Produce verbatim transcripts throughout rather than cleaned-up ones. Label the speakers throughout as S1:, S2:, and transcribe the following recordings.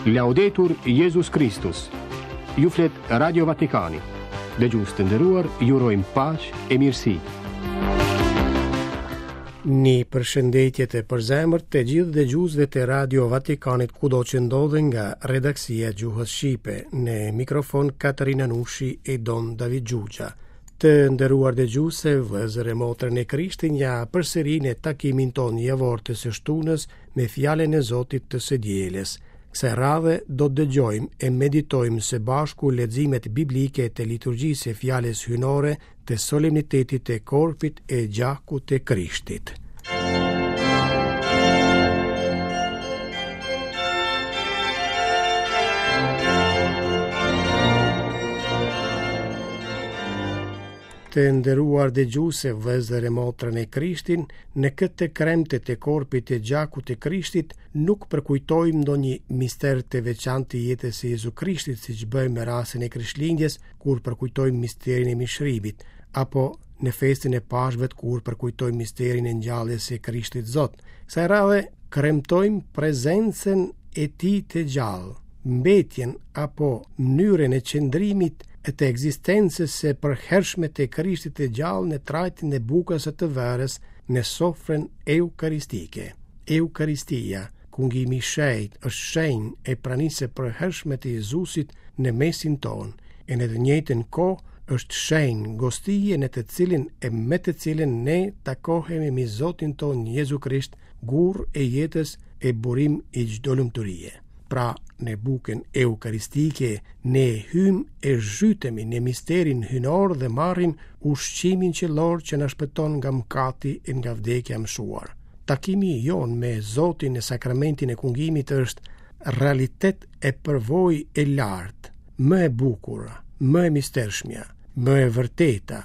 S1: Laudetur Jezus Kristus. Ju flet Radio Vatikani. Dëgjues të nderuar, ju urojmë paqe e mirësi.
S2: Një përshëndetje të përzemërt të gjithë dëgjuesve të Radio Vatikanit kudo që ndodhen nga redaksia e gjuhës shqipe, në mikrofon Katerina Nushi e Don David Gjugja. Të nderuar dëgjuese, vëllezër e motra në Krishtin, ja përsëri në takimin tonë javor të së shtunës me fjalën e Zotit të së dielës. Kësaj radhe do të dëgjojmë e meditojmë së bashku leximet biblike të liturgjisë së fjalës hyjnore të solemnitetit të korpit e gjakut të Krishtit. Të nderuar dëgjuese, vëllezër e motra në Krishtin, në këtë kremte të korpit e gjakut të Krishtit nuk përkujtojmë ndonjë mister të veçantë të jetës së Jezu Krishtit, siç bëjmë me rastin e Krishtlindjes, kur përkujtojmë misterin e mishrimit, apo në festën e Pashkëve kur përkujtojmë misterin e ngjalljes së Krishtit Zot. Kësaj radhe kremtojmë prezencën e tij të gjallë, mbetjen apo mënyrën e qëndrimit e të ekzistencës së përhershme të Krishtit të gjallë në trajtin e bukës e të verës në sofrën eukaristike. Eukaristia, kungimi i shenjtë, është shenjë e pranisë së përhershme të Jezusit në mesin tonë, e në të njëjtën kohë është shenjë gostie në të cilin e me të cilin ne takohemi me Zotin tonë Jezu Krisht, gur e jetës e burim i çdo lumturie. Pra, në bukën eukaristike, ne hymë e zhytemi në misterin hyjnor dhe marrim ushqimin qiellor që na shpëton nga mëkati e nga vdekja e mëshuar. Takimi jonë me Zotin në sakramentin e kungimit është realitet e përvojë e lartë, më e bukur, më e mistershmja, më e vërteta.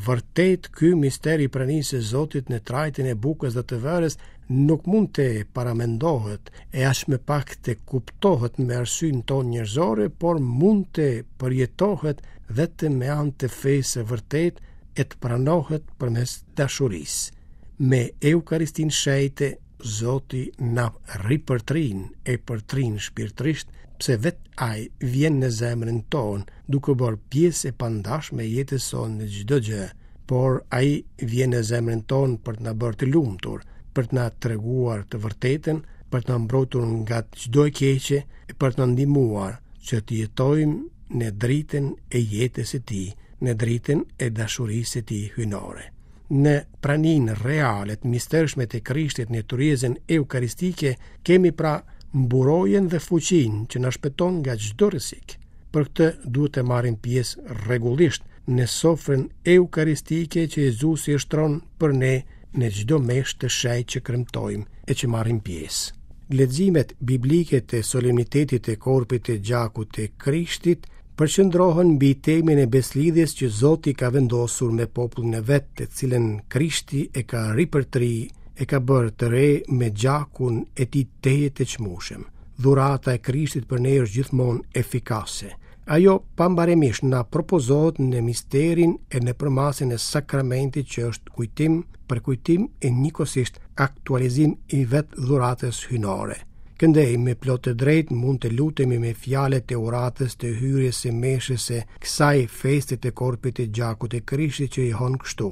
S2: Vërtet ky mister i pranisë së Zotit në trajtën e bukës dhe të verës nuk mund të paramendohet e aq më pak të kuptohet me arsyen tonë njerëzore, por mund të përjetohet vetëm me anë të fesë së vërtetë e të pranohet përmes dashurisë. Me Eukaristin shenjte, Zoti na ripërtrin e përtrin shpirtërisht, pse vetë Ai vjen në zemrën tonë, duke bërë pjesë e pandashme e jetës sonë në çdo gjë, por Ai vjen në zemrën tonë për të na bërë të lumtur, për të na treguar të vërtetën, për të na mbrojtur nga çdo e keqe e për të na ndihmuar që të jetojmë në dritën e jetës së Tij, në dritën e dashurisë së Tij hyjnore. Në praninë reale të mistershme të Krishtit në tryezën eukaristike kemi pra mburojën dhe fuqinë që na shpëton nga çdo rrezik. Për këtë duhet të marrim pjesë rregullisht në sofrën eukaristike që Jezusi e shtron për ne në çdo meshë të shenjtë që kremtojmë e që marrim pjesë. Leximet biblike të solemnitetit të korpit të gjakut të Krishtit përqendrohen mbi temën e beslidhjes që Zoti ka vendosur me popullin e vet, të cilën Krishti e ka ripërtri, e ka bërë të re me gjakun e tij tejet të çmueshëm. Dhurata e Krishtit për ne është gjithmonë efikase. Ajo pambaremisht na propozohet në misterin e në përmasën e sakramentit që është kujtim, përkujtim e njëkohësisht aktualizim i vetë dhuratës hyjnore. Këndej me plot të drejtë mund të lutemi me fjalët e uratës të hyrjes së meshës së kësaj feste të korpit të gjakut të Krishtit që i hon kështu: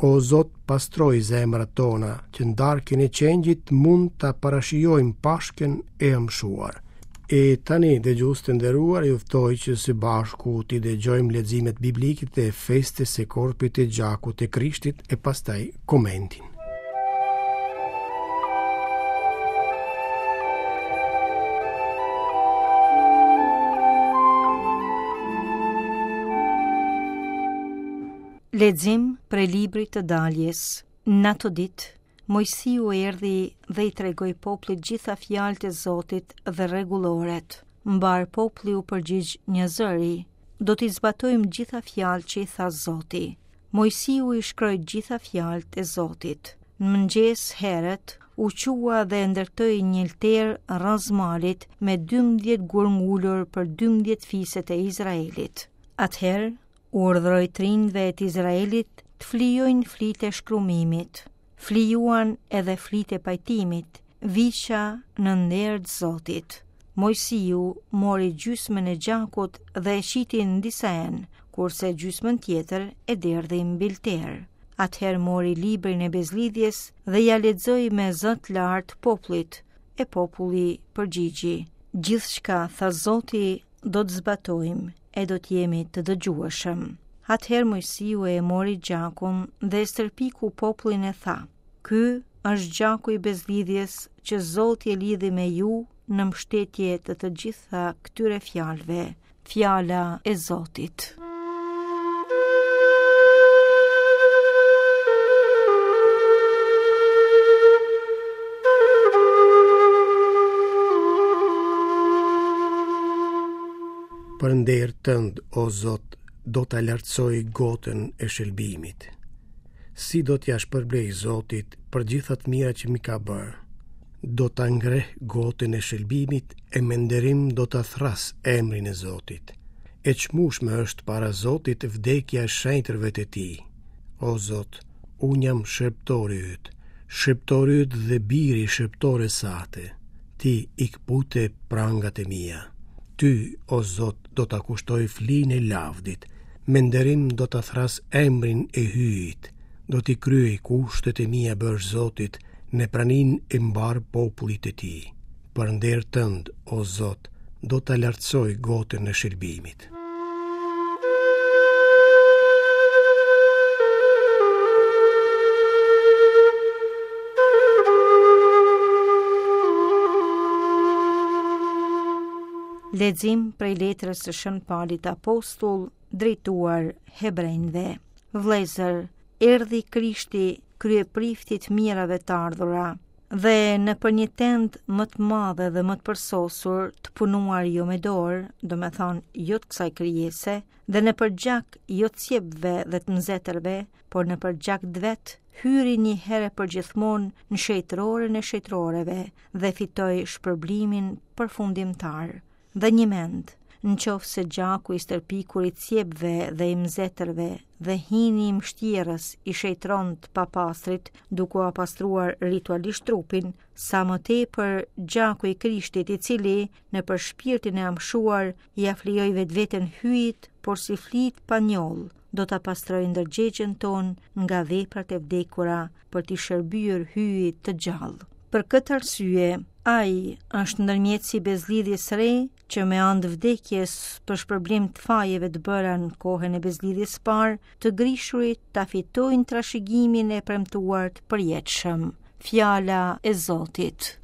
S2: O Zot, pastroj zemrat tona, që në darkën e qengjit mund ta parashijojmë Pashkën e amshuar. E tani, dëgjues të nderuar, ju ftoj që së bashku t'i dëgjojmë leximet biblike të festës së korpit të gjakut të Krishtit e pastaj komentin.
S3: Lexim prej librit të daljes. Në ato ditë, Mojsiu erdhi dhe i tregoi popullit gjitha fjalët e Zotit dhe rregulloret. Mbar populli u përgjigj një zëri: Do t'i zbatojmë gjitha fjalët që i tha Zoti. Mojsiu i shkroi gjitha fjalët e Zotit. Në mëngjes herët u qua dhe ndërtoi një altar rrëz malit me dymbëdhjetë gurë ngulur për dymbëdhjetë fiset e Izraelit. Atëherë u urdhëroi të rinjve të Izraelit të flijojnë flitë e shkrumimit. Flijuan edhe flitë e pajtimit, viqa në nder të Zotit. Mojsiu mori gjysmën e gjakut dhe e qiti në disa enë, kurse gjysmën tjetër e derdhi mbi altar. Atëherë mori librin e bezlidhjes dhe ja lexoi me zë të lartë popullit, e populli përgjigji: Gjithçka tha Zoti do të zbatojmë e do të jemi të dëgjueshëm. Atëherë Mojsiu e mori gjakun dhe e stërpiku popullin e tha: Ky është gjaku i bezlidhjes që Zoti e lidhi me ju në mbështetje të të gjitha këtyre fjalëve. Fjala e Zotit.
S2: Për nder tënd, o Zot, do ta lartësoj gotën e shëlbimit. Si do t'ja shpërblej Zotit për gjitha të mira që mi ka bërë? Do ta ngreh gotën e shëlbimit e me nderim do ta thras emrin e Zotit. E çmueshme është para Zotit vdekja e shenjtërve të tij. O Zot, unë jam shërbëtori yt, shërbëtori yt dhe biri i shërbëtores sate. Ti i kpute prangat e mia. Ty, o Zot, do ta kushtoj flinë e lavdit, me nderim do ta thras emrin e Hyjit, do t'i kryej kushtet e mia bërë Zotit në praninë e mbar popullit të tij. Për nder tënd, o Zot, do ta lartësoj gotën e shëlbimit.
S3: Lexim prej letrës së Shën Palit Apostull drejtuar hebrejve. Vëllezër, erdhi Krishti kryeprifti të mirave të ardhura, dhe në për një tendë më të madhe dhe më të përsosur, të punuar jo me dorë, do me thonë jo të kësaj krijese, dhe në për gjak jo të cjepve dhe të nxetërve, por në për gjak të vet, hyri një herë për gjithmonë në shejtëroren e shejtëroreve dhe fitoi shpërblimin përfundimtar. Dhe një mend, në qoftë se gjaku i stërpikur i cjepve dhe i mzetërve dhe hini i mshtjerës i shejtron të papastrit duke ua pastruar ritualisht trupin, sa më tepër gjaku i Krishtit i cili në për shpirtin e amshuar i aflijoi vetveten Hyjit, por si flit pa njoll, do ta pastrojë ndërgjegjen tonë nga veprat e vdekura për t'i shërbyer Hyjit të gjallë. Për këtë arsye, ai është ndërmjetësi i bezlidhjes së re, që me anë të vdekjes për shpërblim të fajeve të bëra në kohën e bezlidhjes së parë, të grishurit ta fitojnë trashëgimin e premtuar të përjetshëm. Fjala e Zotit.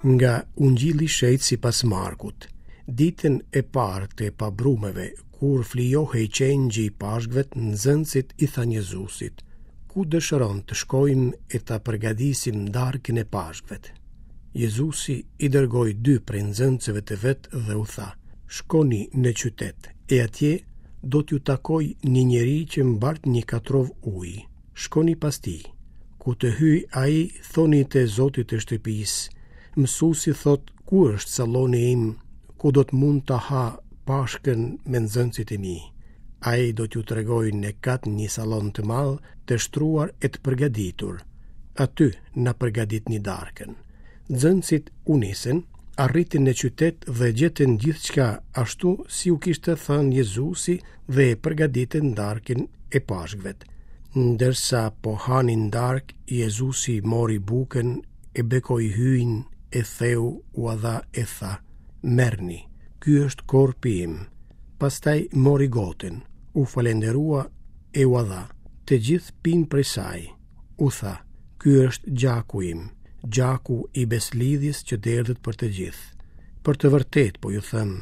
S2: Nga Ungjilli i Shenjtë sipas Markut. Ditën e parë të pabrumeve, kur flijohej qengji i Pashkëve, nxënësit i thanë Jezusit: Ku dëshiron të shkojmë e ta përgatisim darkën e Pashkëve? Jezusi i dërgoi dy prej nxënësve të vet dhe u tha: Shkoni në qytet, e atje do t'ju takoj një njeri që mbart një katrov ujë. Shkoni pas tij. Ku të hyj ai, thoni të Zotit të shtëpisë: Mësuesi thot, ku është salloni im, ku do të mund ta ha Pashkën me nxënësit e mi? Ai do t'ju tregojë në kat një sallon të madh, të shtruar e të përgatitur. Aty na përgatitni darkën. Nxënësit u nisën, arritën në qytet dhe gjetën gjithçka ashtu si u kishte thënë Jezusi dhe e përgatitën darkën e Pashkëve. Ndërsa po hanin darkë, Jezusi mori bukën e bekoi Hyjin, e theu, ua dha e tha: Merrni, ky është korpi im. Pastaj mori gotën, u falenderua e ua dha. Të gjithë pinë prej saj. U tha: Ky është gjaku im, gjaku i beslidhjes që derdhet për të gjithë. Për të vërtetë po ju them,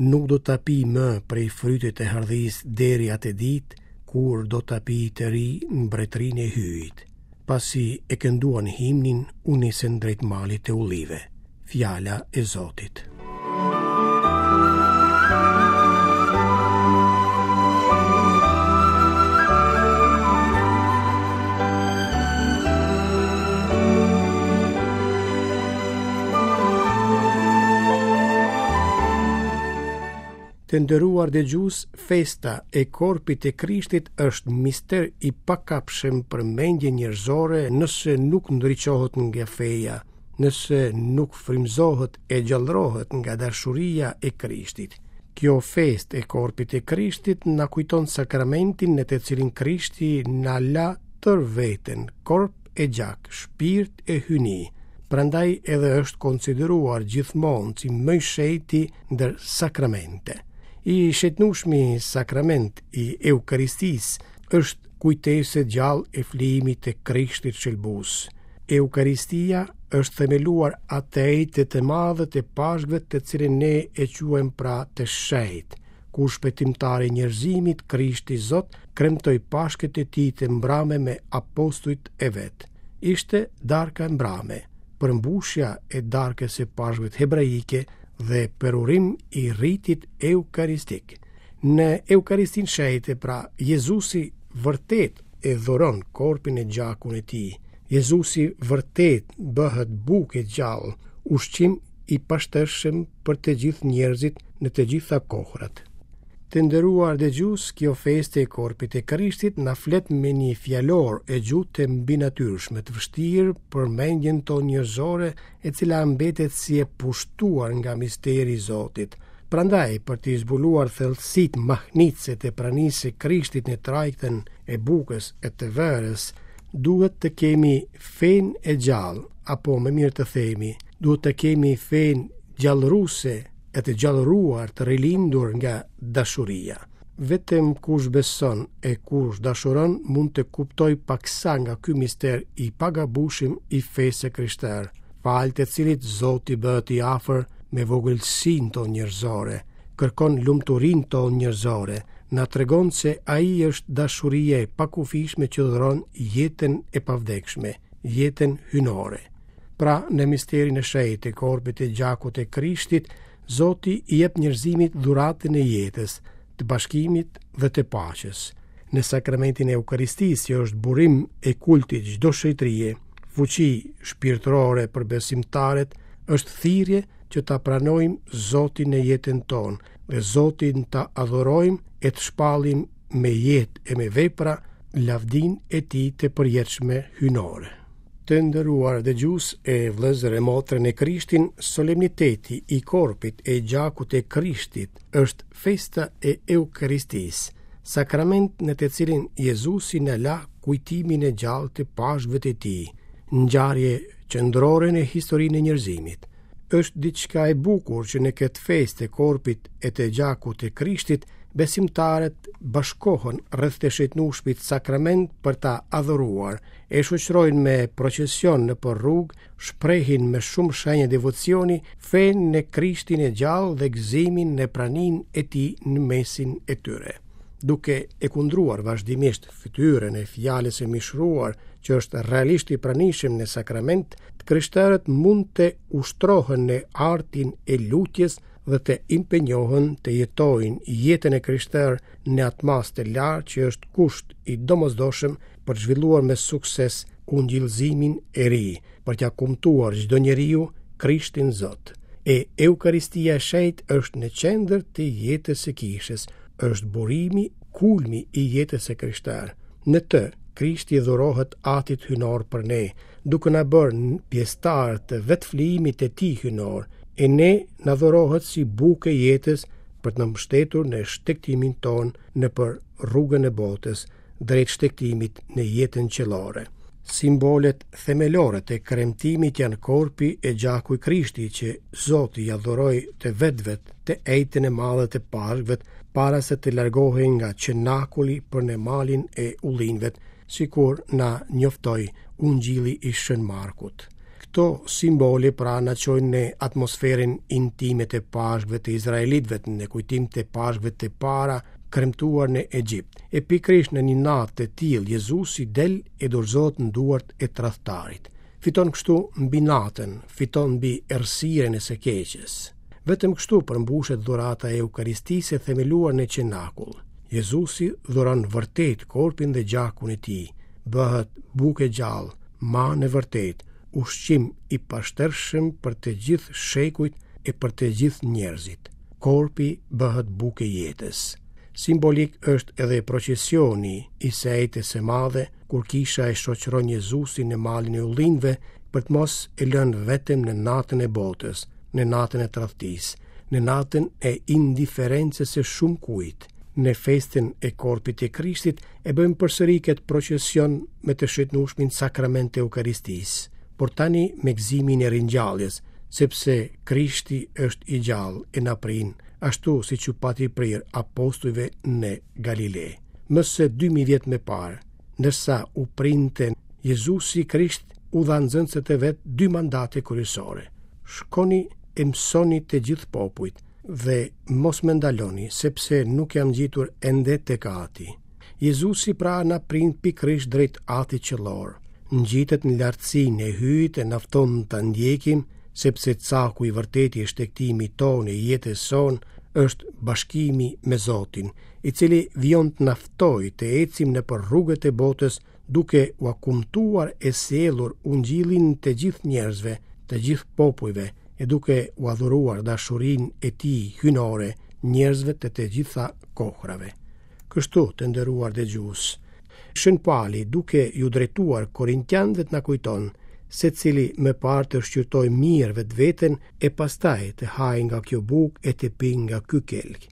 S2: nuk do ta pi më prej frytit të hardhisë deri atë ditë kur do ta pi të ri në mbretërinë e Hyjit. Pasi e kënduan himnin, u nisën drejt malit të ullive. Fjala e Zotit. Të nderuar dëgjues, festa e korpit të Krishtit është mister i pakapshëm për mendjen njerëzore nëse nuk ndriçohet nga feja, nëse nuk frymëzohet e gjallërohet nga dashuria e Krishtit. Kjo festë e korpit të Krishtit na kujton sakramentin në të cilin Krishti na la tërë veten, korp e gjak, shpirt e hyjni. Prandaj edhe është konsideruar gjithmonë si më i shenjti ndër sakramente. I shenjtnueshmi sakrament i Eukaristisë është kujtesë e gjallë e flijimit të Krishtit shëlbues. Eukaristia është themeluar atë ejte të madhe të Pashkëve, të cilën ne e quajmë pra të shenjtë, ku shpëtimtari i njerëzimit, Krishti Zot, kremtoi Pashkët e tij të mbrame me apostujt e vet. Ishte darka e mbrame, përmbushja e darkës së Pashkëve hebraike dhe përurim i ritit eukaristik. Në Eukaristinë shenjte, pra, Jezusi vërtet e dhuron korpin e gjakun e tij. Jezusi vërtet bëhet bukë e gjallë, ushqim i pashtershëm për të gjithë njerëzit në të gjitha kohrat. Të nderuar dëgjues, kjo festë e korpit e Krishtit na flet me një fjalor e gjuhë të mbinatyrshme, të vështirë për mendjen tonë njerëzore, e cila mbetet si e pushtuar nga misteri i Zotit. Prandaj, për të zbuluar thellësitë mahnitëse të pranisë së Krishtit në trajtën e bukës e të verës, duhet të kemi fenë e gjallë, apo më mirë të themi, duhet të kemi fenë gjallëruese e të gjallëruar, të rilindur nga dashuria. Vetëm kush beson e kush dashuron mund të kuptoj paksa nga ky mister i pagabushëm i fesë së krishterë, falë të cilit Zoti bëhet i afër me vogëlsinë tonë njerëzore, kërkon lumturinë tonë njerëzore, na tregon se ai është dashuria e pakufishme që dhuron jetën e pavdekshme, jetën hyjnore. Pra, në misterin e shenjtë të korpit e gjakut të Krishtit, Zoti i jep njerëzimit dhuratën e jetës, të bashkimit dhe të paqes. Në sakramentin e Eukaristisë, që është burim e kultit çdo shenjtërie, fuqi shpirtërore për besimtarët, është thirrje që ta pranojmë Zotin në jetën tonë dhe Zotin ta adhurojmë e të shpallim me jetë e me vepra lavdinë e tij të përjetshme hyjnore. Të nderuar dëgjues e vëllezër e motra në Krishtin, solemniteti i korpit e gjakut e Krishtit është festa e Eukaristisë, sakrament në të cilin Jezusi na la kujtimin e gjallë të Pashkëve të tij, ngjarje qendrore në historinë e njerëzimit. Është diçka e bukur që në këtë festë të korpit e të gjakut të Krishtit, besimtarët bashkohen rreth të shenjtnueshmit sakrament për ta adhuruar, e shoqërojnë me procesion nëpër rrugë, shprehin me shumë shenjë devocioni fenë në Krishtin e gjallë dhe gëzimin në praninë e tij në mesin e tyre. Duke e kundruar vazhdimisht fytyrën e fjalës së mishëruar që është realisht i pranishëm në sakrament, të krishterët mund të ushtrohen në artin e lutjes dhe të impenjohen të jetojnë jetën e krishterë në atë masë të lartë që është kusht i domosdoshëm për të zhvilluar me sukses ungjillëzimin e ri, për t'ia kumtuar çdo njeriu Krishtin Zot. E Eukaristia e shenjtë është në qendër të jetës së kishës, është burimi, kulmi i jetës së krishterë. Në të, Krishti dhurohet Atit Hyjnor për ne, duke na bërë pjesëtar të vetëflijimit të tij hyjnor, e ne na dhurohet si bukë e jetës për të na mbështetur në shtegtimin tonë nëpër rrugën e botës, drejt shtegtimit në jetën qiellore. Simbolet themelore të kremtimit janë korpi e gjaku i Krishtit që Zoti ja dhuroi të vetëve të ejtën e madhe të Pashkëve para se të largohej nga qenakuli për në malin e ullinjve, sikur na njoftoi Ungjilli i Shën Markut. Këto simbole pra na çojnë në atmosferën intime të Pashkëve të Izraelitëve, në kujtim të Pashkëve të para kremtuar në Egjipt. E pikërisht në një natë të tillë Jezusi del e dorëzohet në duart e tradhtarit. Fiton kështu mbi natën, fiton mbi errësirën e së keqes. Vetëm kështu përmbushet dhurata e Eukaristisë e themeluar në qenakull. Jezusi dhuron vërtet korpin dhe gjakun e tij, bëhet bukë e gjallë, manë e vërtet, ushqim i pashtershëm për të gjithë shekujt e për të gjithë njerëzit. Korpi bëhet bukë e jetës. Simbolik është edhe procesioni i së enjtes së madhe, kur kisha e shoqëron Jezusin në malin e ullinjve për të mos e lënë vetëm në natën e botës, në natën e tradhtisë, në natën e indiferencës së shumë kujt. Në festën e korpit të Krishtit e bëjmë përsëri këtë procesion me të shëtnushmin sakrament të Eukaristisë, por tani me gëzimin e ringjalljes, sepse Krishti është i gjallë e na prin, ashtu siç u pati prirë apostujve në Galile. Më se dy mijë vjet më parë, ndërsa u printe Jezusi Krisht u dha nxënësve të vet dy mandate kryesore. Shkoni e mësoni të gjithë popujt dhe mos më ndaloni, sepse nuk jam ngjitur ende tek Ati. Jezusi pra na prin pikërisht drejt Atit qiellor. Ngjitet në lartësinë e Hyjit e na fton ta ndjekim, sepse caku i vërtetë i shtegtimit tonë e jetës sonë është bashkimi me Zotin, i cili vijon të na ftojë të ecim nëpër rrugët e botës duke ua kumtuar e sjellur ungjillin të gjithë njerëzve, të gjithë popujve, e duke ua dhuruar dashurinë e tij hyjnore njerëzve të të gjitha kohrave. Kështu, të nderuar dëgjues, Shën Pali, duke iu drejtuar Korintianëve, na kujton secili më parë të shqyrtojë mirë vetveten e pastaj të hajë nga kjo bukë e të pijë nga ky kelk.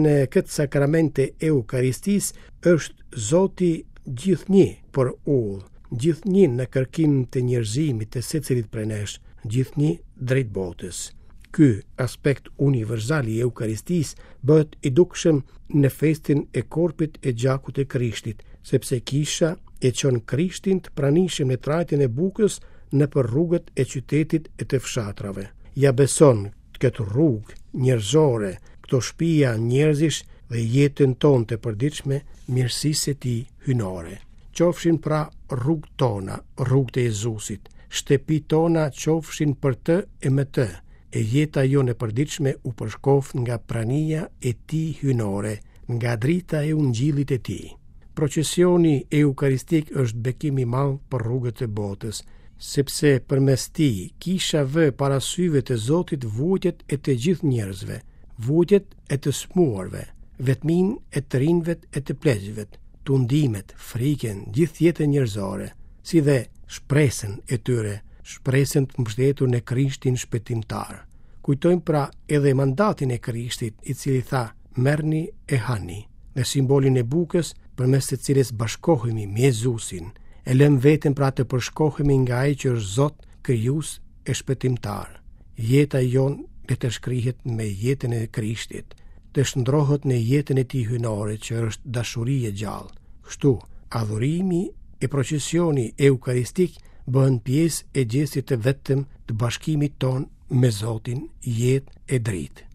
S2: Në këtë sakrament të Eukaristisë është Zoti gjithnjë për udhë, gjithnjë në kërkim të njerëzimit të secilit prej nesh, gjithnjë drejt botës. Ky aspekt universal i Eukaristisë bëhet i dukshëm në festën e korpit e gjakut të Krishtit, sepse kisha e çon Krishtin të pranishëm në trajtën e bukës nëpër rrugët e qytetit e të fshatrave. Ja beson këtë rrugë njerëzore, këto shtëpia njerëzish dhe jetën tonë të përditshme mirësisë së tij hyjnore. Qofshin pra rrugët tona, rrugët e Jezusit, shtëpitë tona qofshin për të e me të, e jeta jonë e përditshme u përshkoftë nga prania e tij hyjnore, nga drita e ungjillit e tij. Procesioni eukaristik është bekim i madh për rrugët e botës, sepse përmes tij kisha vë para syve të Zotit vuajtjet e të gjithë njerëzve, vuajtjet e të smuarve, vetminë e të rinjve e të pleqve, tundimet, frikën, gjithë jetën njerëzore, si dhe shpresën e tyre, shpresën të mbështetur në Krishtin shpëtimtar. Kujtojmë pra edhe mandatin e Krishtit, i cili tha, merrni e hani, dhe simbolin e bukës përmes së cilës bashkohemi me Jezusin, e lëmë veten pra të përshkohemi nga ai që është Zot, krijues e shpëtimtar. Jeta jonë le të shkrihet me jetën e Krishtit, të shndrohet në jetën e tij hyjnore që është dashuri e gjallë. Kështu, adhurimi e procesioni eukaristik bëhen pjesë e gjestit të vetëm të bashkimit tonë me Zotin, jetë e dritë.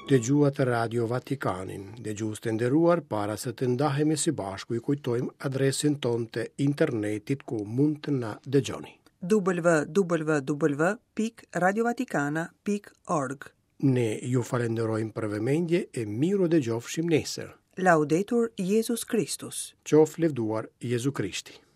S2: Dëgjuat Radio Vatikanin. Dëgjues të nderuar, para se të ndahemi së bashku, ju kujtojmë adresën tonë të internetit ku mund të na dëgjoni.
S4: w w w pikë radiovatikana pikë org.
S2: Ne ju falenderojmë për vëmendje e miru dëgjofshim nesër.
S4: Laudetur Jezus Kristus.
S2: Qoftë lëvduar Jezu Krishti.